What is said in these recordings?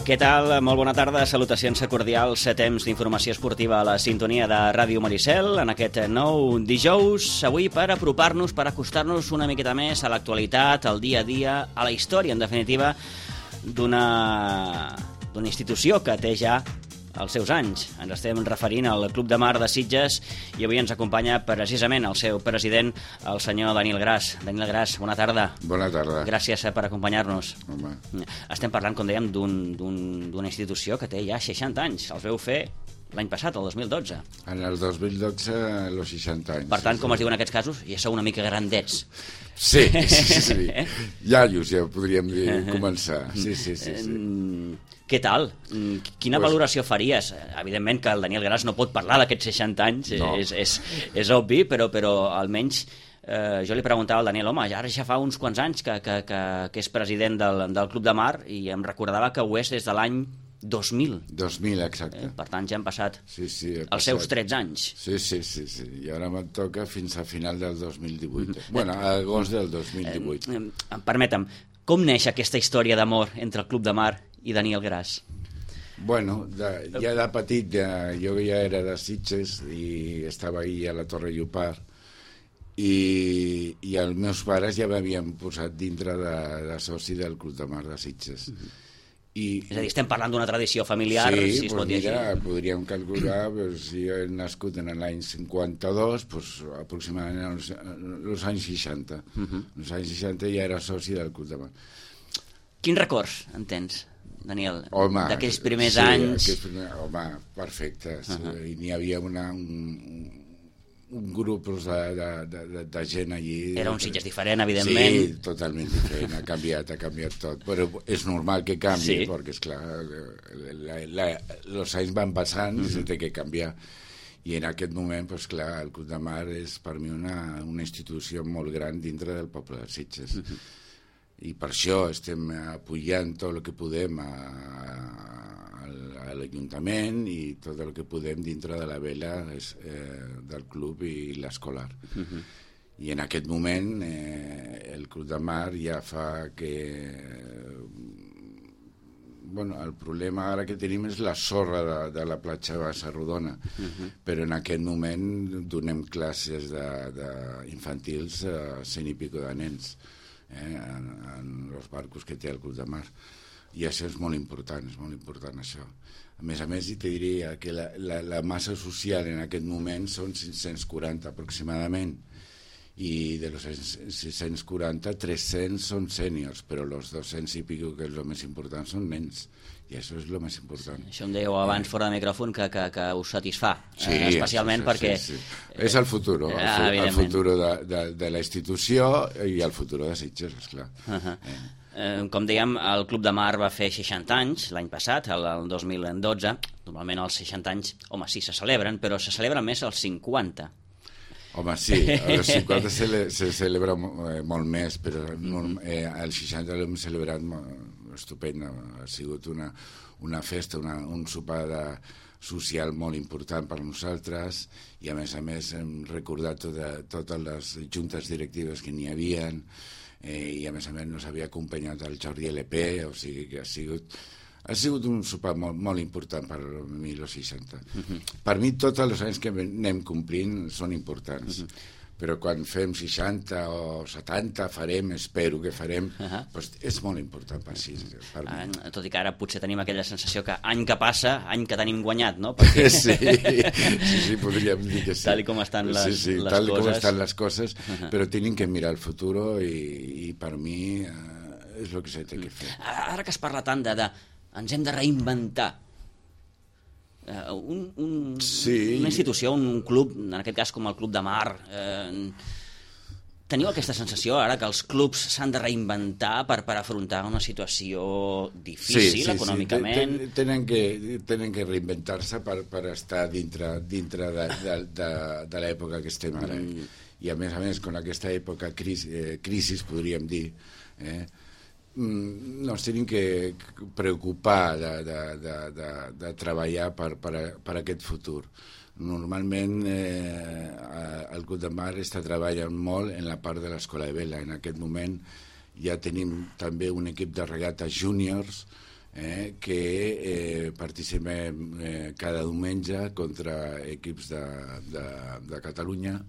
Què tal? Molt bona tarda, salutacions cordials, temps d'informació esportiva a la sintonia de Ràdio Maricel en aquest nou dijous, avui per apropar-nos, per acostar-nos una miqueta més a l'actualitat, al dia a dia, a la història, en definitiva, d'una institució que té ja els seus anys. Ens estem referint al Club de Mar de Sitges i avui ens acompanya precisament el seu president, el senyor Daniel Gras. Daniel Gras, bona tarda. Bona tarda. Gràcies per acompanyar-nos. Home. Estem parlant, com dèiem, d'una institució que té ja 60 anys. Els veu fer l'any passat, el 2012. En el 2012, los 60 anys. Per tant, com es diu en aquests casos, ja sou una mica grandets. Sí. Iaios, ja podríem dir, començar. Sí. Què tal? Quina valoració faries? Evidentment que el Daniel Gras no pot parlar d'aquests 60 anys, no. és obvi, però almenys jo li preguntava al Daniel, home, ara ja fa uns quants anys que és president del Club de Mar i em recordava que ho és des de l'any 2000. 2000, exacte. Per tant, ja han passat els seus 13 anys. Sí. I ara me'n toca fins a final del 2018. Bueno, a agost del 2018. Permetem, com neix aquesta història d'amor entre el Club de Mar i Daniel Gras? Bueno, ja de petit, jo ja era de Sitges i estava ahí a la Torre Llopart i els meus pares ja m'havien posat dintre de soci del Club de Mar de Sitges. És a dir, estem parlant d'una tradició familiar, si es pot dir així. Podríem calcular, si jo he nascut en l'any 52, aproximadament els anys 60. Els anys 60 ja era soci del Club de Mar. Quins records en tens, Daniel, d'aquells primers anys? Home, perfecte. N'hi havia un grup de gent allí. Era un Sitges diferent, evidentment. Sí, totalment diferent, ha canviat tot. Però és normal que canvi, perquè, esclar, els anys van passant i s'ha de canviar. I en aquest moment, clar, el Club de Mar és per mi una institució molt gran dintre del poble de Sitges. I per això estem apoyant tot el que podem a l'Ajuntament i tot el que podem dintre de la vela del club i l'escolar. I en aquest moment el Club de Mar ja fa que... el problema ara que tenim és la sorra de la platja Bassa Rodona, però en aquest moment donem classes infantils a 100 i pico de nens en els barcos que té el Club de Mar, i això és molt important això. A més, te diria que la massa social en aquest moment són 540 aproximadament, i de los 640, 300 són sèniors, però els 200 i pico, que és el més important, són nens, i això és el més important. Això em dèieu abans fora de micròfon que us satisfà, especialment perquè... És el futur, el futur de la institució i el futur de Sitges, esclar. Com dèiem, el Club de Mar va fer 60 anys l'any passat, el 2012. Normalment els 60 anys, home, sí, se celebren, però se celebren més els 50. Home, sí, els 50 se celebra molt més, però el 60 l'hem celebrat estupend. Ha sigut una festa, un sopar social molt important per nosaltres, i a més hem recordat totes les juntes directives que n'hi havia, i a més nos havia acompanyat el Jordi LP, o sigui que ha sigut un sopar molt important per mi, els 60. Per mi, tots els anys que anem complint són importants. Però quan fem 60 o 70, espero que farem, és molt important per mi. Tot i que ara potser tenim aquella sensació que any que passa, any que tenim guanyat, no? Sí, podríem dir que sí. Tal com estan les coses. Tal com estan les coses, però tenim que mirar el futur i per mi és el que s'ha de fer. Ara que es parla tant ens hem de reinventar. Una institució, un club, en aquest cas com el Club de Mar, teniu aquesta sensació ara que els clubs s'han de reinventar per afrontar una situació difícil econòmicament? Sí, tenen que reinventar-se per estar dintre de l'època que estem ara. I a més, con aquesta època crisi, podríem dir, nos tenim que preocupar de treballar per aquest futur. Normalment el Club de Mar està treballant molt en la part de l'escola de vela. En aquest moment ja tenim també un equip de regates júniors que participem cada diumenge contra equips de Catalunya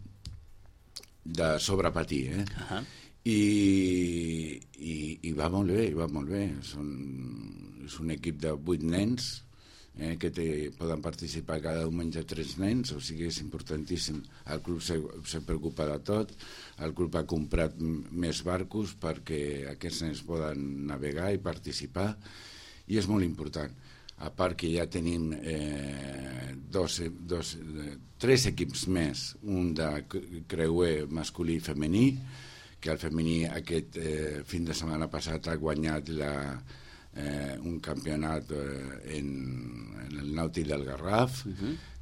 de sobrepatí, i va molt bé, és un equip de 8 nens que poden participar cada diumenge 3 nens, o sigui, és importantíssim. El club se preocupa de tot, el club ha comprat més barcos perquè aquests nens poden navegar i participar, i és molt important. A part que ja tenim 3 equips més, un de creuer masculí i femení, que el femení aquest fin de setmana passat ha guanyat un campionat en el Nàutic del Garraf.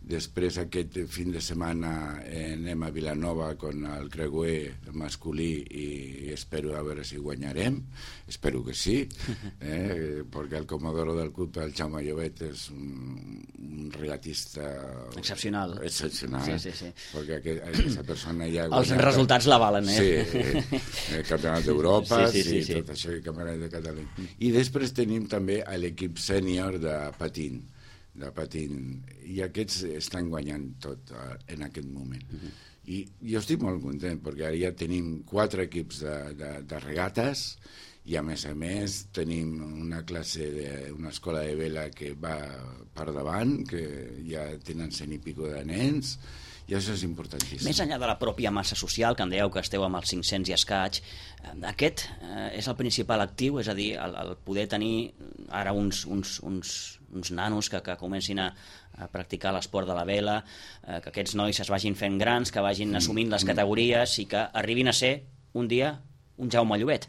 Després aquest fin de setmana anem a Vilanova con el creuer masculí i espero a veure si guanyarem, espero que sí, perquè el comodoro del club, el Jaume Llobet, és un regatista excepcional, perquè aquesta persona ja els resultats l'avalen, campionat d'Europa i tot això, i campionat de Catalunya. I després tenim també l'equip sènior de patín, i aquests estan guanyant tot en aquest moment. I jo estic molt content perquè ara ja tenim 4 equips de regates, i a més tenim una escola de vela que va per davant, que ja tenen 100 i pico de nens, i això és importantíssim. Més enllà de la pròpia massa social, que em dèieu que esteu amb els 500 i escaig, aquest és el principal actiu, és a dir, el poder tenir ara uns nanos que comencin a practicar l'esport de la vela, que aquests nois es vagin fent grans, que vagin assumint les categories i que arribin a ser un dia un Jaume Llobet.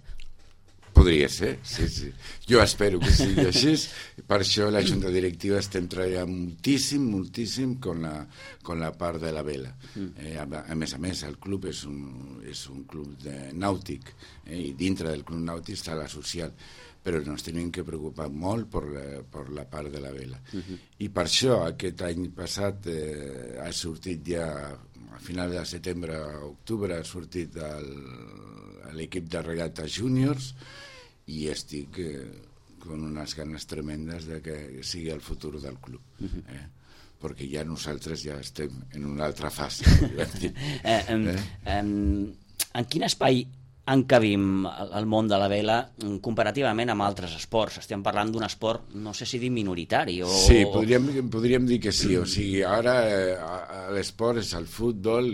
Podria ser, sí. Jo espero que sigui així. Per això la Junta Directiva estem treballant moltíssim con la part de la vela. A més, el club és un club nàutic, i dintre del club nàutic està la social, però ens tenim que preocupar molt per la part de la vela. I per això aquest any passat ha sortit ja, a final de setembre, octubre, ha sortit l'equip de regata júniors, i estic con unes ganes tremendes de que sigui el futur del club, perquè ja nosaltres ja estem en una altra fase. En quin espai encabim el món de la vela comparativament amb altres esports? Estem parlant d'un esport, no sé si dir minoritari o... Sí, podríem dir que sí. O sigui, ara l'esport és el futbol,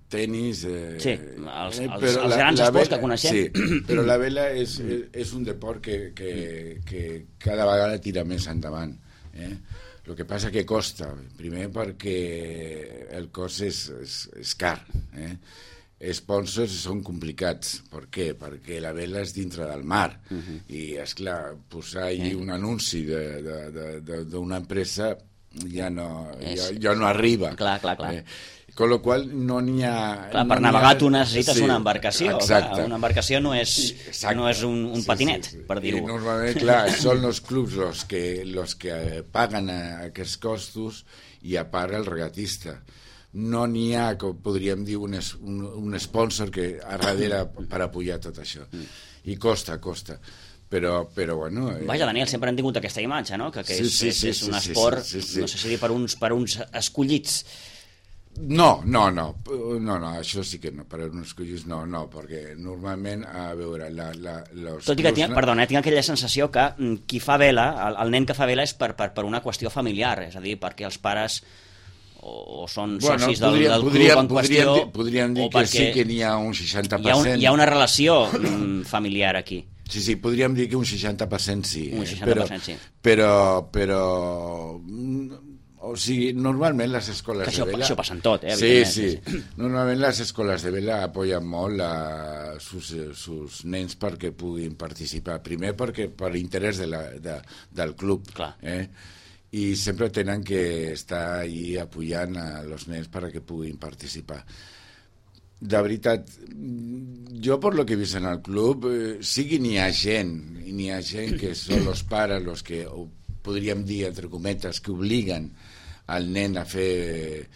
tenis... Sí, els grans esports que coneixem. Sí, però la vela és un deport que cada vegada tira més endavant. El que passa que costa, primer perquè el cost és car, sponsors són complicats. Per què? Perquè la vela és dintre del mar, i esclar, posar allí un anunci d'una empresa ja no arriba. Clar. Con lo qual no n'hi ha... Clar, per navegar tu necessites una embarcació. Exacte. Una embarcació no és un patinet, per dir-ho. I normalment, clar, són els clubs los que paguen aquests costos, i a part el regatista. No n'hi ha, com podríem dir, un sponsor que a darrere per apoyar tot això. I costa. Però bueno... Vaja, Daniel, sempre hem tingut aquesta imatge, no? Que és un esport, no sé si dir per uns escollits. No, això sí que no, per uns collons no, perquè normalment, a veure... Tot i que, tinc aquella sensació que qui fa vela, el nen que fa vela és per una qüestió familiar, és a dir, perquè els pares o són socis del club en qüestió... Podríem dir que sí que n'hi ha un 60%. Hi ha una relació familiar aquí. Sí, podríem dir que un 60% sí. Un 60% sí. Però o sigui, normalment les escoles de vela... Això passa en tot, Sí. Normalment les escoles de vela apoyen molt sus nens perquè puguin participar. Primer perquè per interès del club. Clar. I sempre tenen que estar allí apoyant a los nens perquè puguin participar. De veritat, jo per lo que he vist en el club, sí que n'hi ha gent que són els pares els que, podríem dir, entre cometes, que obliguen al nen a fer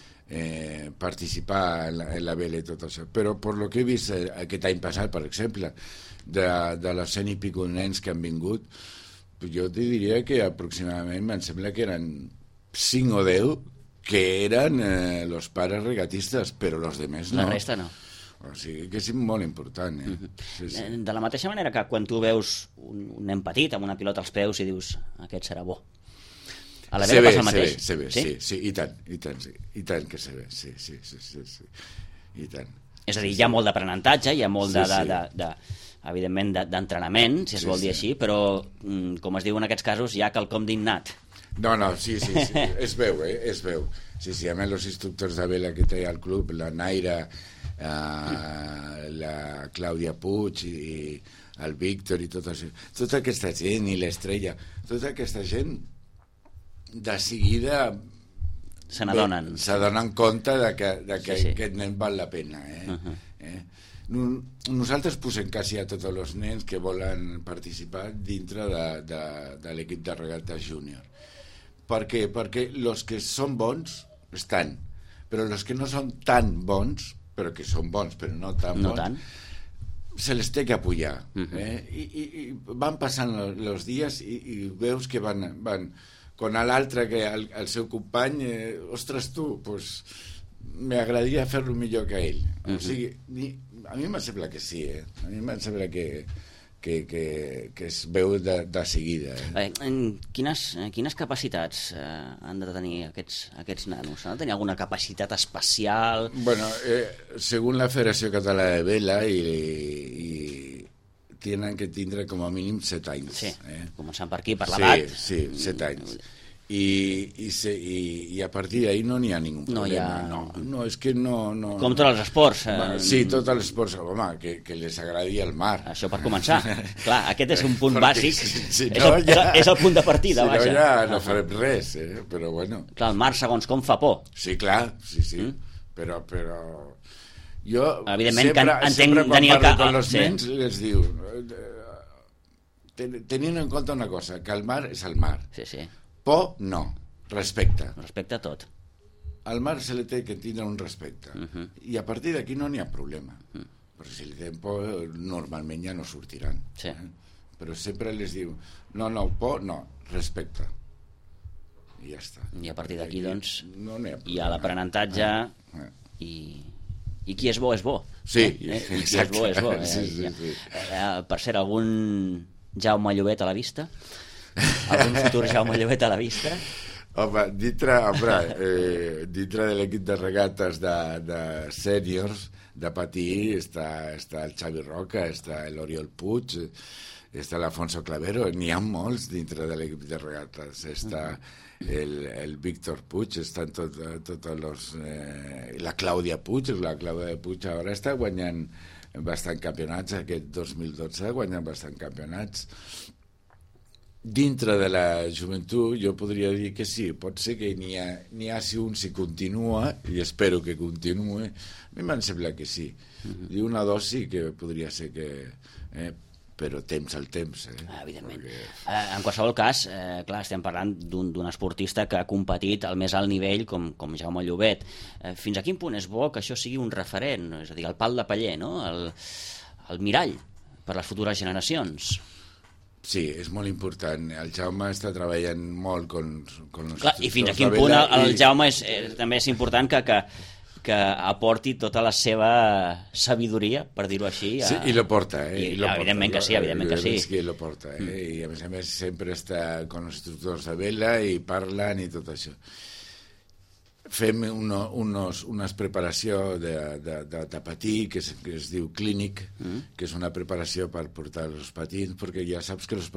participar en la vela i tot això. Però per lo que he vist aquest any passat, per exemple, de les 100 i pico nens que han vingut, jo te diria que aproximadament em sembla que eren 5 o 10 que eren los pares regatistes, però los demés no. La resta no. O sigui que és molt important. Sí, sí. De la mateixa manera que quan tu veus un nen petit amb una pilota als peus i dius aquest serà bo. A la Vela passa el mateix. Se ve, sí, i tant, sí. I tant que se ve, sí, i tant. És a dir, hi ha molt d'aprenentatge, hi ha molt evidentment d'entrenament, si es vol dir així, però com es diu en aquests casos hi ha quelcom d'innat. No, sí, es veu, es veu. Sí, a més els instructors de vela que té al club, la Naira, la Clàudia Puig i el Víctor i tota aquesta gent, i l'Estrella, tota aquesta gent de seguida se n'adonen. S'adonen compte que aquest nen val la pena. Nosaltres posem quasi a tots els nens que volen participar dintre de l'equip de regates júnior. Per què? Perquè els que són bons estan, però els que no són tan bons, però que són bons però no tan bons, se les té que apoyar. I van passant els dies i veus que van quan l'altre, que el seu company, ostres tu, pues, m'agradaria fer-lo millor que ell. O sigui, a mi em sembla que sí, a mi em sembla que es veu de seguida. Quines capacitats han de tenir aquests nanos? Han de tenir alguna capacitat especial? Bueno, segons la Federació Catalana de Vela i tenen que tindre com a mínim 7 anys. Sí, començant per aquí, per l'edat. Sí, 7 anys. I a partir d'ahí no n'hi ha ningú problema. No, és que no... Com tots els esports. Sí, tots els esports, home, que les agradi el mar. Això per començar. Clar, aquest és un punt bàsic. És el punt de partida, vaja. Si no, ja no farem res, però bueno. Clar, el mar, segons com, fa por. Sí, clar, sí. Però jo sempre quan parlo amb els nens les diu tenint en compte una cosa, que el mar és el mar. Sí. Por, no. Respecte. Respecte a tot. Al mar se li té que tindre un respecte. I a partir d'aquí no n'hi ha problema. Però si li tenen por, normalment ja no sortiran. Sí. Però sempre les diu, no, por, no, respecte. I ja està. I a partir d'aquí, doncs, no hi ha l'aprenentatge i qui és bo, és bo. Sí, exacte. Qui és bo, és bo. Sí. Per cert, algun Jaume Llobet a la vista? Algun futur Jaume Llobet a la vista? Home, dintre de l'equip de regates de sèniors de patí està el Xavi Roca, està l'Oriol Puig, està l'Afonso Clavero, n'hi ha molts dintre de l'equip de regates, està el Víctor Puig, estan tots els... la Clàudia Puig ara està guanyant bastant campionats, aquest 2012 ha guanyat bastant campionats. Dintre de la joventut jo podria dir que sí, pot ser que n'hi ha si un si continua, i espero que continuï, a mi em sembla que sí. I una dosi que podria ser que... però temps al temps. Evidentment. En qualsevol cas, clar, estem parlant d'un esportista que ha competit al més alt nivell com Jaume Llobet. Fins a quin punt és bo que això sigui un referent, és a dir, el pal de paller, no? El mirall per les futures generacions? Sí, és molt important. El Jaume està treballant molt con els... Clar, i fins a quin punt el Jaume també és important que aporti tota la seva sabidoria, per dir-ho així. Sí, i lo porta. Evidentment que sí, evidentment que sí. Que lo porta, i a més sempre està con els instructors de vela i parlen i tot això. Fem unes preparació de patí que es diu clínic, que és una preparació per portar els patins, perquè ja saps que el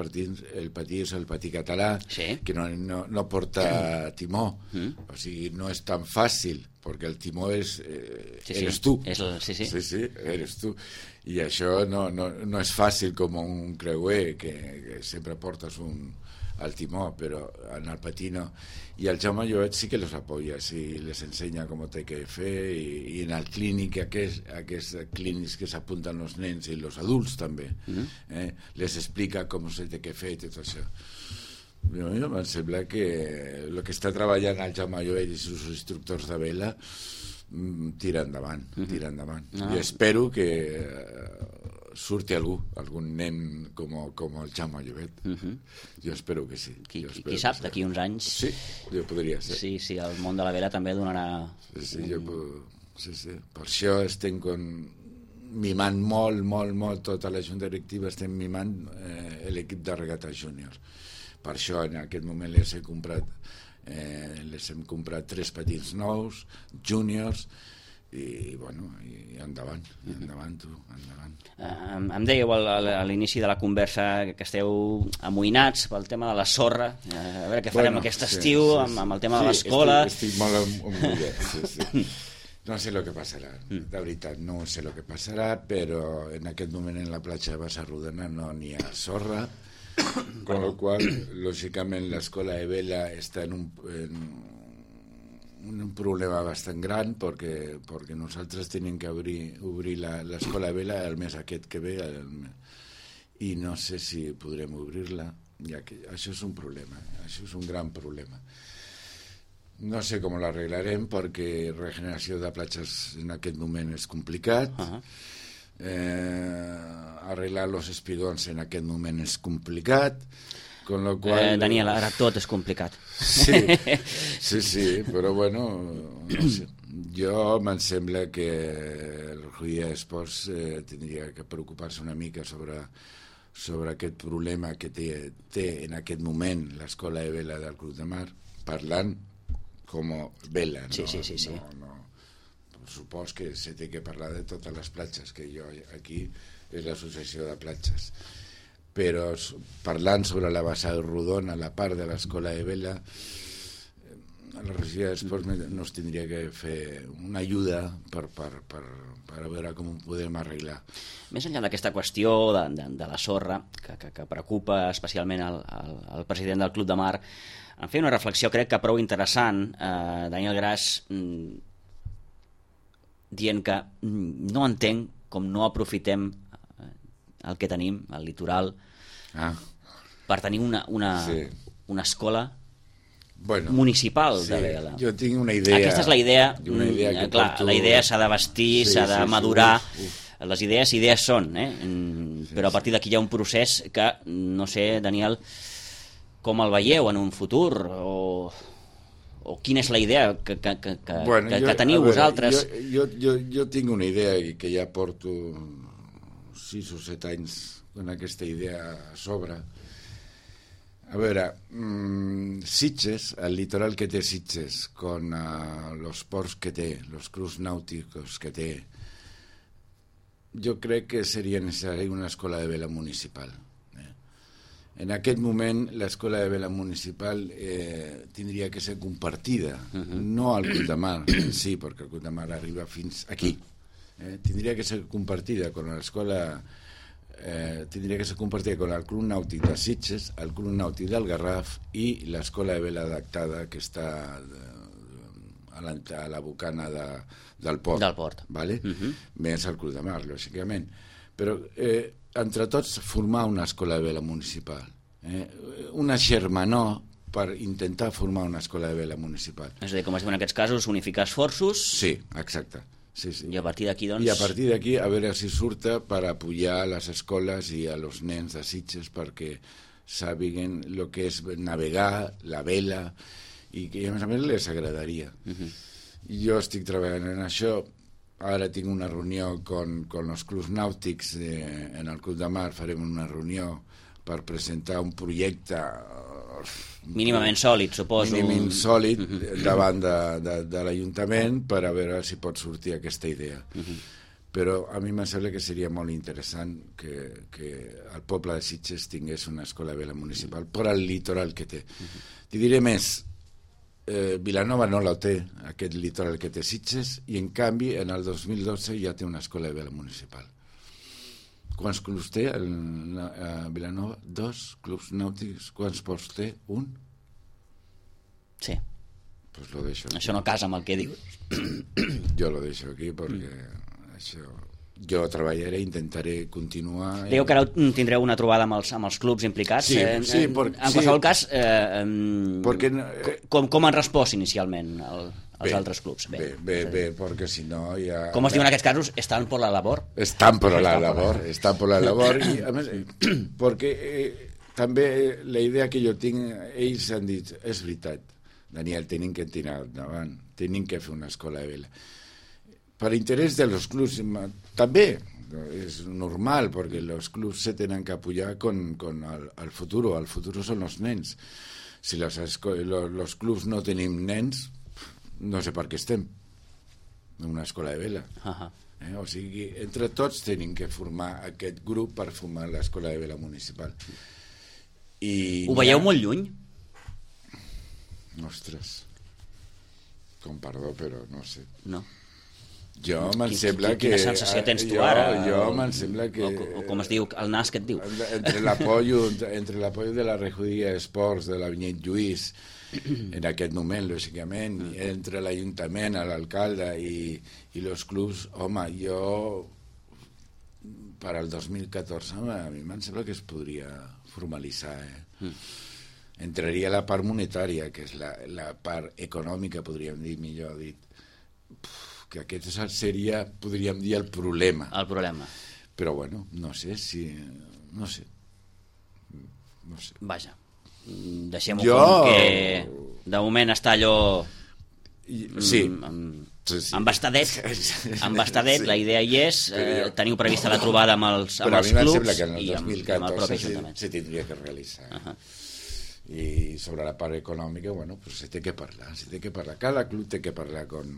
patí és el patí català, que no porta timó, o sigui, no és tan fàcil, perquè el timó eres tu. Sí, eres tu. I això no és fàcil com un creuer, que sempre portes al timó, però en el patí no. I el Jaume Llobet sí que los apoya, sí, les ensenya com ho té que fer, i en el clínic, aquests clínics que s'apunten els nens i els adults també, les explica com se té que fer i tot això. A mi em sembla que el que està treballant el Jaume Llobet i els instructors de vela tira endavant. I espero que surti algun nen com el Jaume Llobet. Jo espero que sí. Qui sap, d'aquí uns anys... Sí, jo podria ser. Sí, el món de la vela també donarà... Sí. Per això estem mimant molt, tota la junta directiva estem mimant l'equip de regata júnior. Per això en aquest moment les hem comprat 3 petits nous, júniors, i endavant tu, endavant. Em dèieu a l'inici de la conversa que esteu amoïnats pel tema de la sorra, a veure què farem aquest estiu amb el tema de l'escola. Estic molt amoïnat, sí. No sé lo que passarà, de veritat, no sé lo que passarà, però en aquest moment en la platja de Basarrodona no n'hi ha sorra, con lo cual, lògicament, l'escola de vela està en un problema bastant gran perquè nosaltres tenim que obrir l'escola de vela el mes aquest que ve i no sé si podrem obrir-la, ja que això és un problema, això és un gran problema. No sé com l'arreglarem perquè regeneració de platges en aquest moment és complicat. Arreglar els espigons en aquest moment és complicat, con lo cual... Daniel, ara tot és complicat. Sí, però bueno, no sé. Jo me'n sembla que el Ruia Esports tindria que preocupar-se una mica sobre aquest problema que té en aquest moment l'escola de vela del Club de Mar, parlant com vela, no? Sí. No. Supos que se té que parlar de totes les platges, que jo aquí és l'associació de platges. Però parlant sobre la bassa de Rodona, la part de l'escola de vela, la regió d'esports nos tindria que fer una ajuda per veure com ho podem arreglar. Més enllà d'aquesta qüestió de la sorra, que preocupa especialment el president del Club de Mar, em feia una reflexió, crec que prou interessant, Daniel Gras, dient que no entenc com no aprofitem el que tenim, el litoral, per tenir una escola municipal de vela. Jo tinc una idea. Aquesta és la idea. Clar, la idea s'ha de vestir, s'ha de madurar. Les idees són, però a partir d'aquí hi ha un procés que, no sé, Daniel, com el veieu en un futur, o quina és la idea que teniu vosaltres? Jo tinc una idea que ja porto 6 o 7 anys amb aquesta idea a sobre. A veure, Sitges, el litoral que té Sitges, con los ports que té, los clubs nàuticos que té, jo crec que seria necessari una escola de vela municipal. En aquest moment l'escola de vela municipal tindria que ser compartida, no al Club de Mar, sí, perquè el Club de Mar arriba fins aquí. Tindria que ser compartida con l'escola, tindria que ser compartida con el Club Nàutic de Sitges, el Club Nàutic del Garraf i l'escola de vela adaptada que està a la bocana del port. Vale? Més el Club de Mar, lògicament. Però entre tots formar una escola de vela municipal, una germanor per intentar formar una escola de vela municipal. És a dir, com es diu en aquests casos, unificar esforços. Sí, exacte. Sí. I a partir d'aquí, doncs... I a partir d'aquí, a veure si surta per apoyar a les escoles i a los nens de Sitges perquè sàpiguen el que és navegar, la vela, i que a més les agradaria. Jo estic treballant en això. Ara tinc una reunió con els clubs nàutics en el Club de Mar, farem una reunió per presentar un projecte mínimament sòlid, suposo. Mínimament sòlid davant de l'Ajuntament per a veure si pot sortir aquesta idea. Però a mi em sembla que seria molt interessant que el poble de Sitges tingués una escola de vela municipal per al litoral que té. T'hi diré més, Vilanova no la té, aquest litoral que té Sitges, i en canvi en el 2012 ja té una escola de vela municipal. Quants clubs té a Vilanova? 2 clubs nàutics. Quants ports té? 1? Sí. Pues lo deixo aquí. Això no casa amb el que dius. Jo lo deixo aquí perquè això... Jo treballaré, intentaré continuar... Dèieu que ara tindreu una trobada amb els clubs implicats. Sí, en qualsevol cas, perquè... com han respost inicialment? els altres clubs. Bé, perquè si no ja... Com es diu en aquests casos, estan per la labor. Estan per la labor, i a més, perquè també la idea que jo tinc, ells han dit, és veritat, Daniel, tenim que tirar endavant, tenim que fer una escola de vela. Per interès dels clubs, també és normal, perquè els clubs se tenen que apoyar con el futuro. El futuro són els nens. Si els clubs no tenim nens, no sé per què estem en una escola de vela. O sigui, entre tots tenim que formar aquest grup per formar l'escola de vela municipal. Ho veieu molt lluny? Ostres, com perdó, però no sé. No. Jo me'n sembla que... Quina sensació tens tu ara? Jo me'n sembla que... O com es diu, el nas que et diu? Entre l'apoyo de la regidoria d'esports de la Vinyet Lluís, en aquest moment, lògicament, entre l'Ajuntament, l'alcalde i els clubs, home, jo per al 2014 a mi me'n sembla que es podria formalitzar. Entraria la part monetària, que és la part econòmica, podríem dir, millor dit, que aquest seria, podríem dir, el problema. El problema. Però bueno, no sé si... No sé. Vaja, deixem-ho com que de moment està allò... Sí. Embastadet. La idea hi és, teniu prevista la trobada amb els clubs. Però a mi em sembla que en el i amb el propi 2014 Ajuntament. se tindria que realitzar. I sobre la part econòmica, bueno, pues se té que parlar. Cada club té que parlar con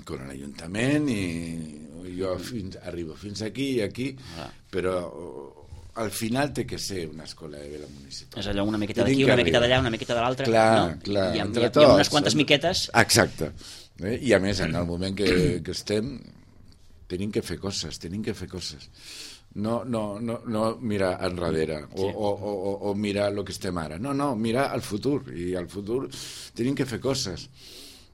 l'Ajuntament i jo arribo fins aquí i aquí, però al final té que ser una escola de vela municipal. És allò una miqueta d'aquí, una miqueta d'allà, una miqueta de l'altra. Clar, hi ha unes quantes miquetes. Exacte. I a més, en el moment que estem, tenim que fer coses. No mirar enrere o mirar el que estem ara. No, mirar al futur. I al futur tenim que fer coses.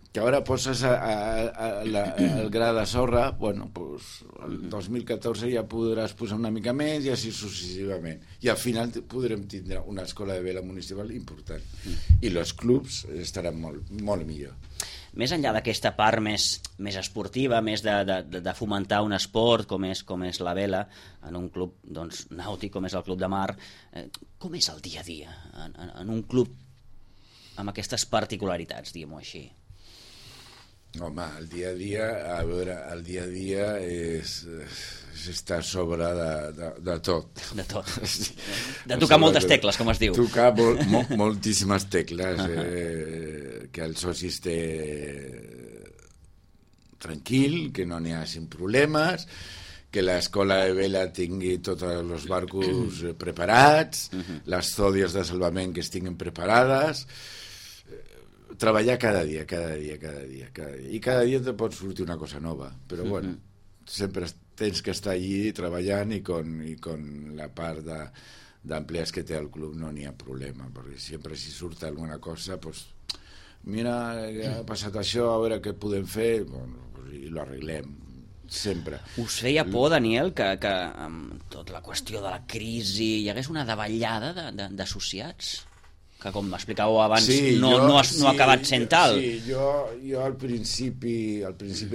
Que ara poses el gra de sorra, bueno, pues el 2014 ja podràs posar una mica més i així successivament. I al final podrem tindre una escola de vela municipal important. I els clubs estaran molt millor. Més enllà d'aquesta part més esportiva, més de fomentar un esport com és la vela, en un club nàutic com és el Club de Mar, com és el dia a dia en un club amb aquestes particularitats, diguem-ho així? Home, el dia a dia és estar a sobre de tot. De tot. De tocar moltes tecles, com es diu. Tocar moltíssimes tecles, que el soci esté tranquil, que no n'hi hagi problemes, que l'escola de vela tingui tots els barcos preparats, les zodies de salvament que estiguin preparades, treballar cada dia. I cada dia te pot sortir una cosa nova, però bueno, sempre tens que estar allí treballant i con la part d'empleats que té el club no n'hi ha problema, perquè sempre si surt alguna cosa, pues, mira, ha passat això, a veure què podem fer, bueno, pues, i lo arreglem. Sempre. Us feia por, Daniel, que amb tota la qüestió de la crisi hi hagués una davallada d'associats? Que com m'explicàveu abans no ha acabat sent tal. Sí, jo al principi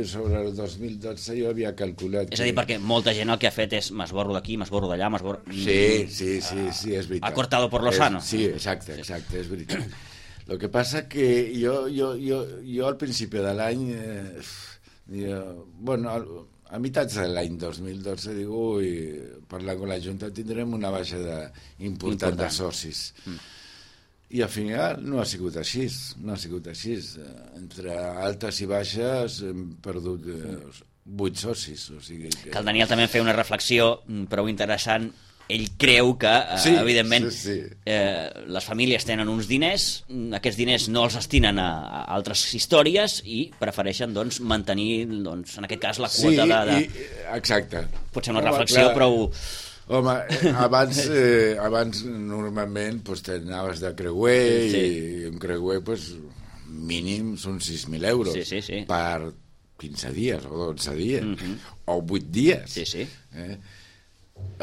sobre el 2012 jo havia calculat... És a dir, perquè molta gent el que ha fet és m'esborro d'aquí, m'esborro d'allà, m'esborro... Sí, és veritat. Ha cortado por lo sano. Sí, exacte, és veritat. Lo que pasa que jo al principi de l'any... Bueno, a meitats de l'any 2012 dic, parlant amb la Junta tindrem una baixada important de socis. I al final no ha sigut així. Entre altes i baixes hem perdut 8 socis. O sigui que el Daniel també feia una reflexió prou interessant. Ell creu que, evidentment, les famílies tenen uns diners, aquests diners no els destinen a altres històries i prefereixen mantenir, en aquest cas, la quota de... Exacte. Pot ser una reflexió prou... Home, abans normalment t'anaves de creuer i un creuer mínim són 6.000 euros per 15 dies o 12 dies o 8 dies.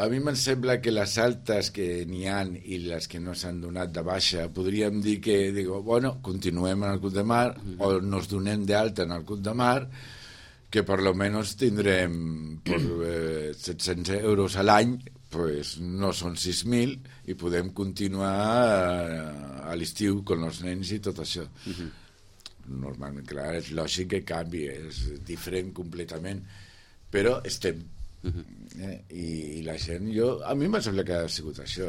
A mi em sembla que les altes que n'hi ha i les que no s'han donat de baixa, podríem dir que, bueno, continuem en el Club de Mar o nos donem d'alta en el Club de Mar, que per lo menos tindrem per 700 euros a l'any, pues no són 6.000 i podem continuar a l'estiu amb els nens i tot això. Normalment, clar, és lògic que canvi, és diferent completament, però estem. I la gent, a mi m'ha semblat que ha sigut això,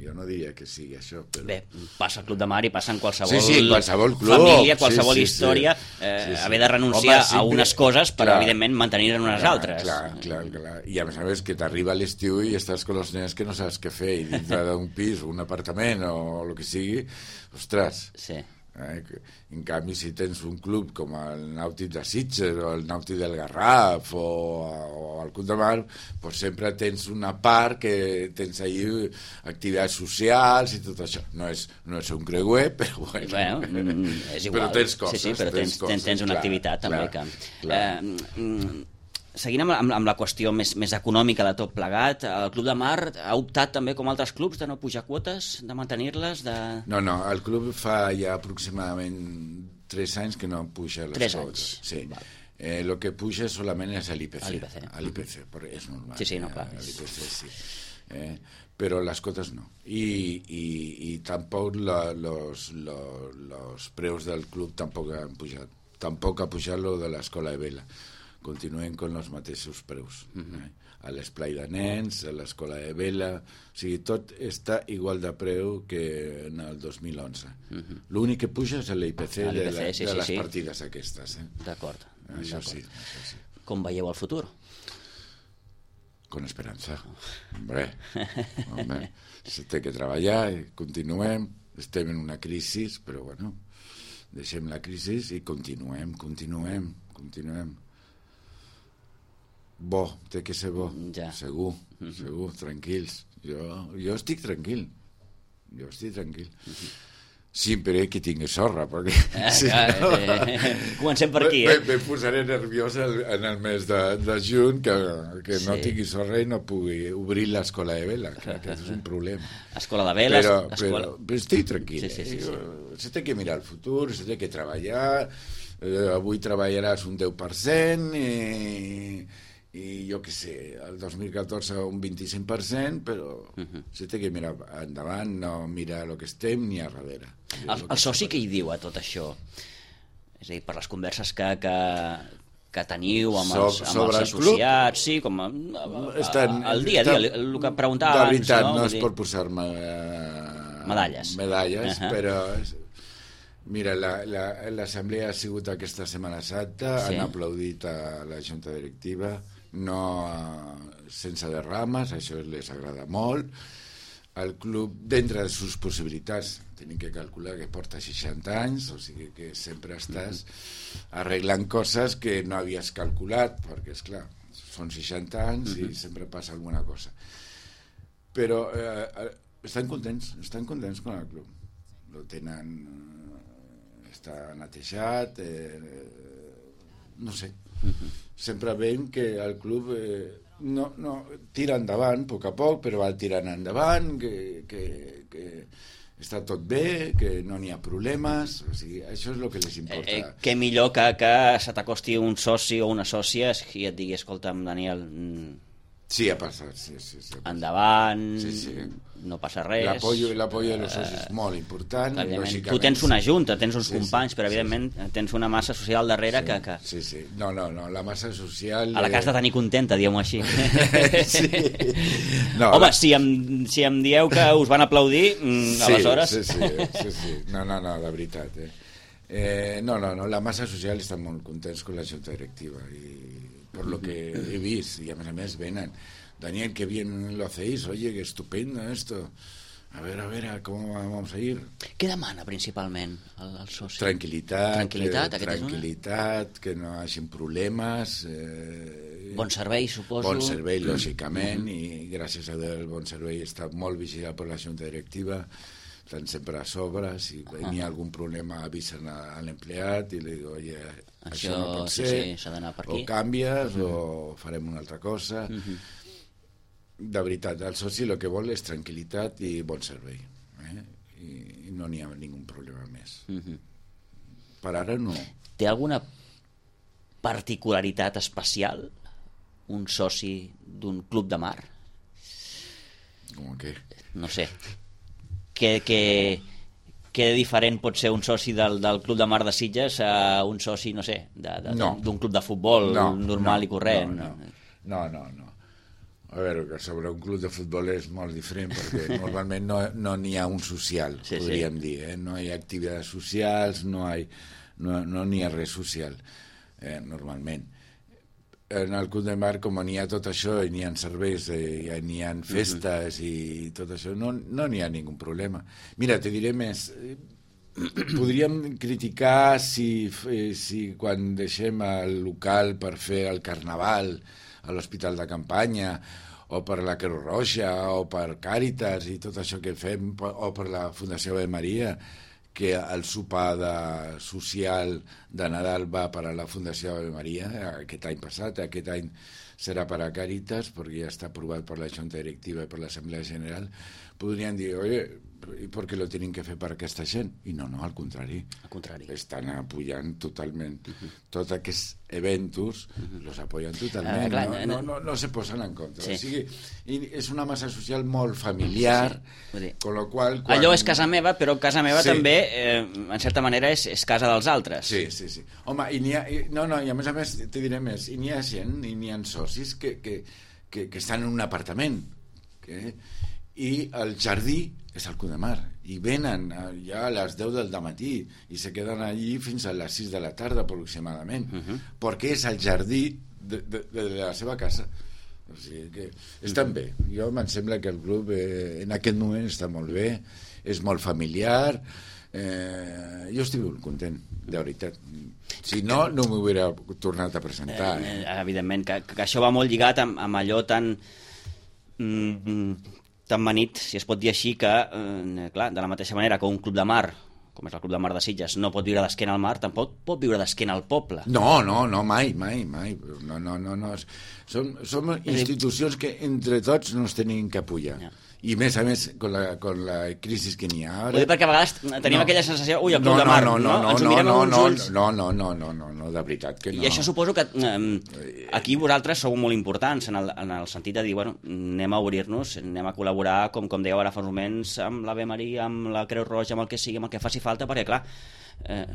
jo no diria que sigui això, però... Bé, passa al Club de Mar i passa en qualsevol, qualsevol club, família, qualsevol història, haver de renunciar a unes coses per, evidentment, mantenir-ne unes altres. Clar. I a més que t'arriba a l'estiu i estàs amb els nens que no saps què fer, i dintre d'un pis o un apartament o el que sigui, ostres... Sí. En canvi, si tens un club com el Nàutic de Sitges o el Nàutic del Garraf o el Club de Mar, pues sempre tens una part que tens allí activitats socials i tot això. No és un creuer, però bueno, és igual. Però tens coses. Sí, però tens una activitat també que... Seguint amb la qüestió més econòmica de tot plegat, el Club de Mar ha optat també, com altres clubs, de no pujar quotes, de mantenir-les? No, el club fa ja aproximadament 3 anys que no puja les 3 quotes. anys. Sí. Lo que puja solament és l'IPC. L'IPC, però és normal. Sí, no, clar. L'IPC, sí. Però les cotes no. I tampoc los preus del club tampoc han pujat. Tampoc ha pujat lo de l'escola de vela. Continuen amb els mateixos preus. A l'esplai de nens, a l'escola de vela... O sigui, tot està igual de preu que en el 2011. L'únic que puja és l'IPC de les partides aquestes. D'acord. Això sí. Com veieu el futur? Con esperança. Hombre, se té que treballar, continuem, estem en una crisi, però bueno, deixem la crisi i continuem. Bo, té que ser bo, segur, tranquils. Jo estic tranquil. Sempre que tingui sorra, perquè... Comencem per aquí, Me posaré nerviós en el mes de juny que no tingui sorra i no pugui obrir l'escola de vela, que és un problema. Escola de vela... Però estic tranquil. Se té que mirar el futur, se té que treballar. Avui treballaràs un 10% i jo què sé, el 2014 un 25%, però se té que mirar endavant, no mirar el que estem ni a darrere. El soci què hi diu a tot això? És a dir, per les converses que teniu amb els associats, sí, com el dia a dia, el que preguntava abans. De veritat, no és per posar-me medalles, però... Mira, l'assemblea ha sigut aquesta Setmana Santa, han aplaudit a la junta directiva, no sense derrames, això les agrada molt. El club, dintre de les seves possibilitats, tenim que calcular que porta 60 anys, o sigui que sempre estàs arreglant coses que no havies calculat, perquè, esclar, són 60 anys i sempre passa alguna cosa. Però estan contents amb el club. Lo tenen... està netejat, no sé. Sempre veiem que el club no tira endavant a poc, però va tirant endavant, que està tot bé, que no n'hi ha problemes, o sigui, això és el que les importa. Què millor que se t'acosti un soci o una sòcia i et digui, escolta'm, Daniel... Sí, ha passat, sí. Endavant, no passa res. L'apoyo de los socios és molt important. Tu tens una junta, tens uns companys, però evidentment tens una massa social darrere que... Sí. No, la massa social... A la que has de tenir contenta, diguem-ho així. Sí. Home, si em dieu que us van aplaudir, aleshores... Sí. No, de veritat. No, la massa social està molt contents amb la junta directiva i por lo que he visto, y a més venen. Daniel, qué bien lo hacéis, oye, qué estupendo esto. A ver, ¿cómo vamos a ir? Què demana principalment el soci? Tranquil·litat, que no hagin problemes. Bon servei, suposo. Bon servei, lògicament, i gràcies a Déu el bon servei està molt vigilat per la junta directiva, estan sempre a sobre, si hi ha algun problema avisen a l'empleat i li dic, oye, això no pot ser, s'ha d'anar per aquí. O canvies o farem una altra cosa. de veritat, el soci el que vol és tranquil·litat i bon servei. I no n'hi ha ningú problema més. Per ara no. Té alguna particularitat especial un soci d'un club de mar? Com què? No sé. Què de diferent pot ser un soci del Club de Mar de Sitges a un soci, no sé, d'un club de futbol normal i corrent? No. A veure, que sobre un club de futbol és molt diferent perquè normalment no n'hi ha un social, podríem dir. No hi ha activitats socials, no n'hi ha res social, normalment. En el Club de Mar, com n'hi ha tot això, i n'hi ha serveis, n'hi ha festes i tot això, no n'hi ha ningú problema. Mira, te diré més. Podríem criticar si quan deixem el local per fer el carnaval a l'Hospital de Campanya, o per la Creu Roja, o per Càritas i tot això que fem, o per la Fundació Ave Maria, que el sopar social de Nadal va per a la Fundació Ave Maria aquest any passat, aquest any serà per a Càritas, perquè ja està aprovat per la Junta Directiva i per l'Assemblea General. Podrien dir, oye, ¿y por qué lo tienen que fer per aquesta gent? I no, al contrari. Estan apoyant totalment. Tots aquests eventos los apoyen totalment. No se posen en contra. O sigui, és una massa social molt familiar, con lo qual... Allò és casa meva, però casa meva també, en certa manera, és casa dels altres. Sí. Home, i a més, te diré més, i n'hi ha gent, i n'hi ha socis que estan en un apartament, i el jardí és el Club de Mar, i venen ja a les 10 del matí i se queden allí fins a les 6 de la tarda aproximadament, perquè és el jardí de la seva casa. O sigui que estan bé. Jo em sembla que el club en aquest moment està molt bé, és molt familiar. Jo estic molt content, de veritat. Si no m'ho hauria tornat a presentar. Evidentment, que això va molt lligat amb allò tan manit, si es pot dir així, que, clar, de la mateixa manera que un club de mar, com és el Club de Mar de Sitges, no pot viure d'esquena al mar, tampoc pot viure d'esquena al poble. No, mai. No. Som institucions que entre tots nos tenim que apoyar. I més a més, con la crisi que n'hi ha ara... Vull dir, perquè a vegades tenim aquella sensació, ui, el Club de Mar, ens ho mirem amb uns ulls... No, de veritat que no. I això suposo que aquí vosaltres sou molt importants en el sentit de dir, bueno, anem a obrir-nos, anem a col·laborar, com dèieu ara fa uns moments, amb l'Ave Maria, amb la Creu Roja, amb el que sigui, amb el que faci falta, perquè, clar,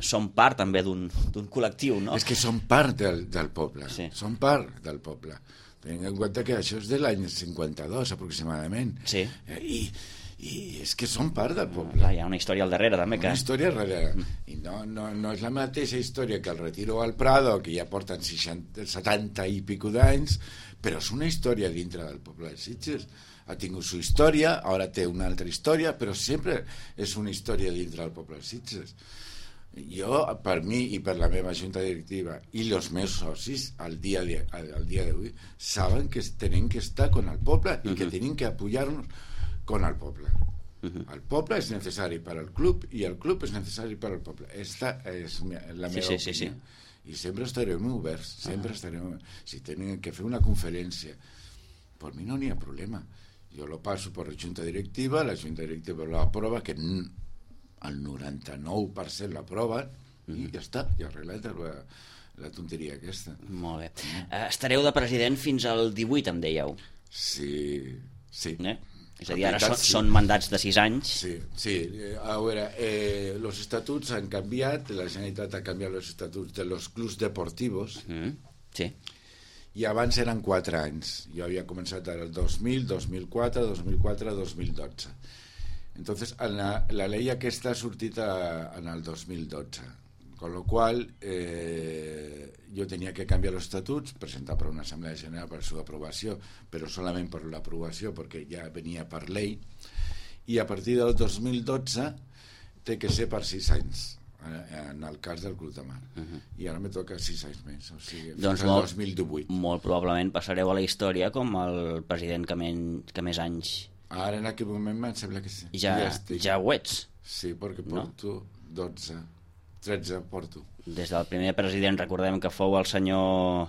som part també d'un col·lectiu, no? És que som part del poble, som part del poble. Tenint en compte que això és de l'any 52, aproximadament. Sí. I és que són part del poble. Hi ha una història al darrere, també. Una història al darrere. I no és la mateixa història que el Retiro al Prado, que ja porten 70 i pico d'anys, però és una història dintre del poble de Sitges. Ha tingut su història, ara té una altra història, però sempre és una història dintre del poble de Sitges. Jo, per mi i per la meva junta directiva i els meus socis al dia d'avui saben que tenen que estar con el poble i que tenen que apoyar-nos con el poble. El poble és necessari per al club i el club és necessari per al poble. Esta és la meva opinió. I sempre estarem oberts, si tenen que fer una conferència, per mi no n'hi ha problema. Jo lo passo per la junta directiva lo aprova, que el 99% l'aprova i ja està, ja arreglat la tonteria aquesta. Molt bé. Estareu de president fins al 18, em dèieu. Sí. És a dir, ara són mandats de 6 anys. Sí. A veure, los estatuts han canviat, la Generalitat ha canviat los estatuts de los clubs deportivos. Sí. I abans eren 4 anys. Jo havia començat el 2000, 2004, 2012. Entonces, la ley aquesta ha sortit en el 2012, con lo qual jo tenia que canviar els estatuts, presentar per una assemblea general per la seva aprovació, però solament per l'aprovació, perquè ja venia per llei, i a partir del 2012 té que ser per 6 anys, en el cas del Club de Mar. I ara me toca 6 anys més, o sigui, fins al 2018. Molt probablement passareu a la història com el president que més anys... Ara en aquest moment em sembla que sí. Ja ho ets. Sí, perquè porto 13 porto. Des del primer president recordem que fou el senyor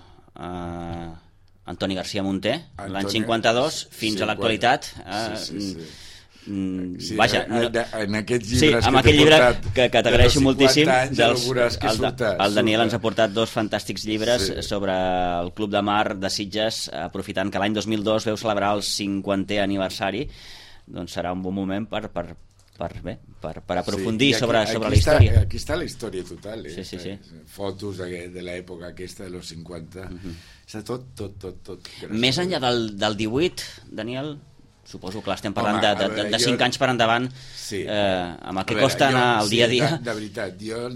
Antoni García Munté, l'any 52, fins a l'actualitat. Vaja, en aquests llibres amb aquell llibre que t'agraeixo moltíssim, el Daniel ens ha portat 2 fantàstics llibres sobre el Club de Mar de Sitges, aprofitant que l'any 2002 veu celebrar el 50è aniversari, doncs serà un bon moment per aprofundir sobre la història. Aquí està la història total, fotos de l'època aquesta de los 50, està tot. Més enllà del 18, Daniel, suposo que estem parlant de 5 anys per endavant, amb el que costa anar al dia a dia. De veritat, jo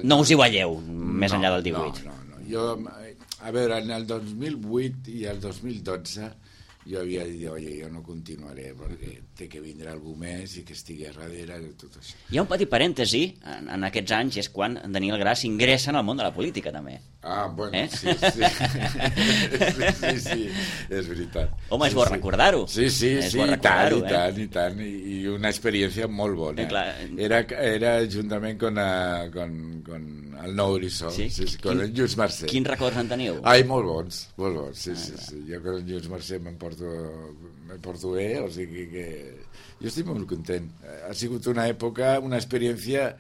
no us hi guanyeu més enllà del 18. No. Jo, a veure, en el 2008 i el 2012 jo havia dit, jo no continuaré perquè té que vindre algú més i que estigui a darrere de tot això. Hi ha un petit parèntesi en aquests anys, és quan Daniel Gras ingressa en el món de la política, també. Bueno, sí, és veritat. Home, és bo recordar-ho. Sí, i tant, i una experiència molt bona. Era juntament con el Nou Horitzó, con el Lluís Mercè. Quins records en teniu? Molt bons, sí. Jo con el Lluís Mercè me porto bé, o sigui que jo estic molt content. Ha sigut una època, una experiència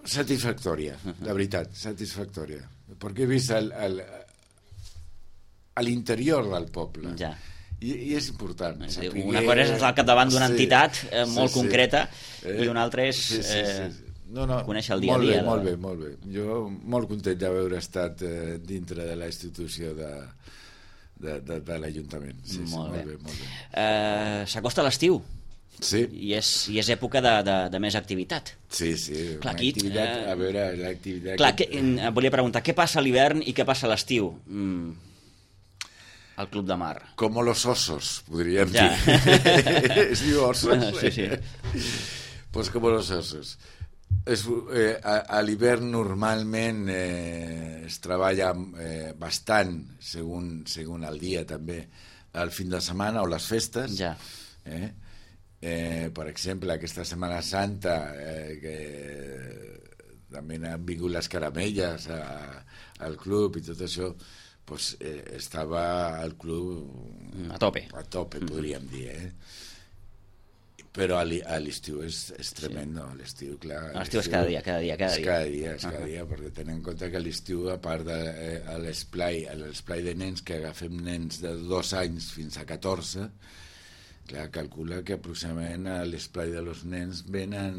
satisfactòria, la veritat, satisfactòria, perquè he vist l'interior del poble. I és important. Una cosa és al capdavant d'una entitat molt concreta i una altra és conèixer el dia a dia. Molt bé. Jo molt content d'haver estat dintre de la institució de l'Ajuntament. Molt bé. S'acosta l'estiu. Sí. I és època de més activitat. Sí. L'activitat, a veure, l'activitat... Clar, volia preguntar, què passa a l'hivern i què passa a l'estiu? Al Club de Mar. Como los osos, podríem dir. Es diu osos. Sí. Pues como los osos. A l'hivern normalment es treballa bastant, segons el dia també, al fin de setmana o les festes. Per exemple, aquesta Setmana Santa, que també han vingut les caramelles al club i tot això, pues, estava el club a tope, podríem dir, però a l'estiu és tremendo. A l'estiu, clar, l'estiu és cada dia. És cada dia, perquè tenen en compte que a l'estiu, a part de l'esplai de nens, que agafem nens de 2 anys fins a 14, clar, calcula que aproximadament a l'esplai de los nens venen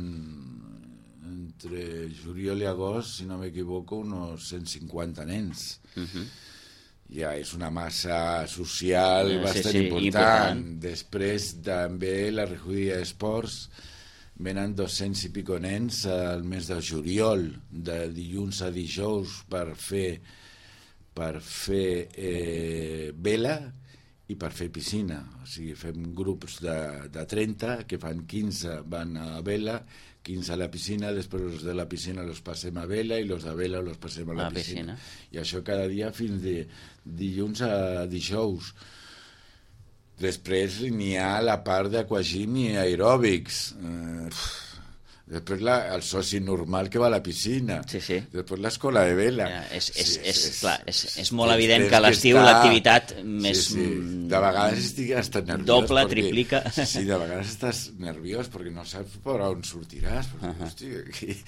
entre juliol i agost, si no m'equivoco, unos 150 nens. Ja és una massa social bastant important. Després també la recollida d'esports, venen 200 i pico nens al mes de juliol, de dilluns a dijous, per fer vela i per fer piscina. O sigui, fem grups de 30, que fan 15 van a vela, 15 a la piscina, després els de la piscina los passem a vela i los de vela los passem a la piscina. I això cada dia fins de dilluns a dijous. Després n'hi ha la part d'aquagym i aeròbics. Després el soci normal que va a la piscina. Després l'escola de vela. És molt evident que a l'estiu l'activitat més... De vegades estic hasta nerviós. Doble, triplica. Sí, de vegades estàs nerviós perquè no saps per on sortiràs. Hosti, aquí...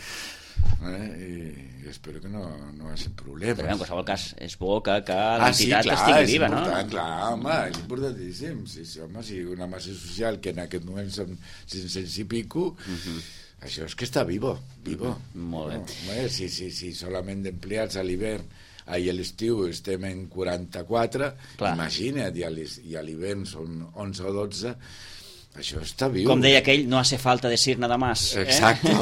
I espero que no hi hagi problemes. Però en qualsevol cas és bo que l'entitat estigui viva, no? Clar, home, és importantíssim. Home, si una massa social que en aquest moment són 500 i pico... Això és que està vivo. Molt bé. No, si solament d'empleats a l'hivern i a l'estiu estem en 44, imagina't, i a l'hivern són 11 o 12, això està viu. Com deia aquell, no hace falta decir nada más. Exacto.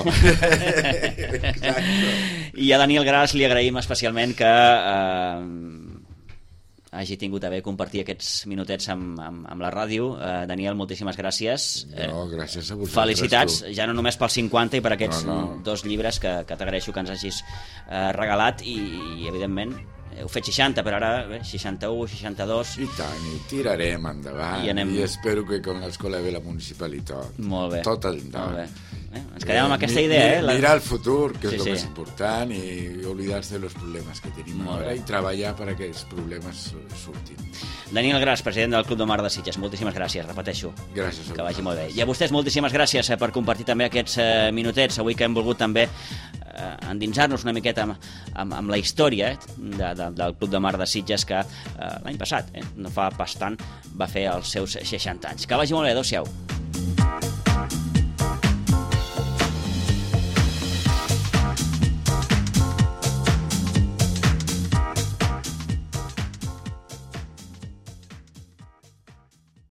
I a Daniel Gras li agraïm especialment que hagi tingut a bé compartir aquests minutets amb la ràdio. Daniel, moltíssimes gràcies. Gràcies a vosaltres. Felicitats, ja no només pel 50 i per aquests 2 llibres que t'agraeixo que ens hagis regalat i evidentment heu fet 60, però ara 61, 62... I tant, i tirarem endavant. I espero que con l'escola de la municipalitat. Molt bé. Tot endavant. Ens quedem amb aquesta idea, Mirar el futur, que és el més important, i oblidar-se dels problemes que tenim ara i treballar perquè els problemes surtin. Daniel Gras, president del Club de Mar de Sitges, moltíssimes gràcies, repeteixo. Gràcies a que vagi molt bé. I a vostès moltíssimes gràcies per compartir també aquests minutets, avui que hem volgut també endinsar-nos una miqueta amb la història del Club de Mar de Sitges, que l'any passat, no fa pas tant, va fer els seus 60 anys. Que vagi molt bé, adéu-siau.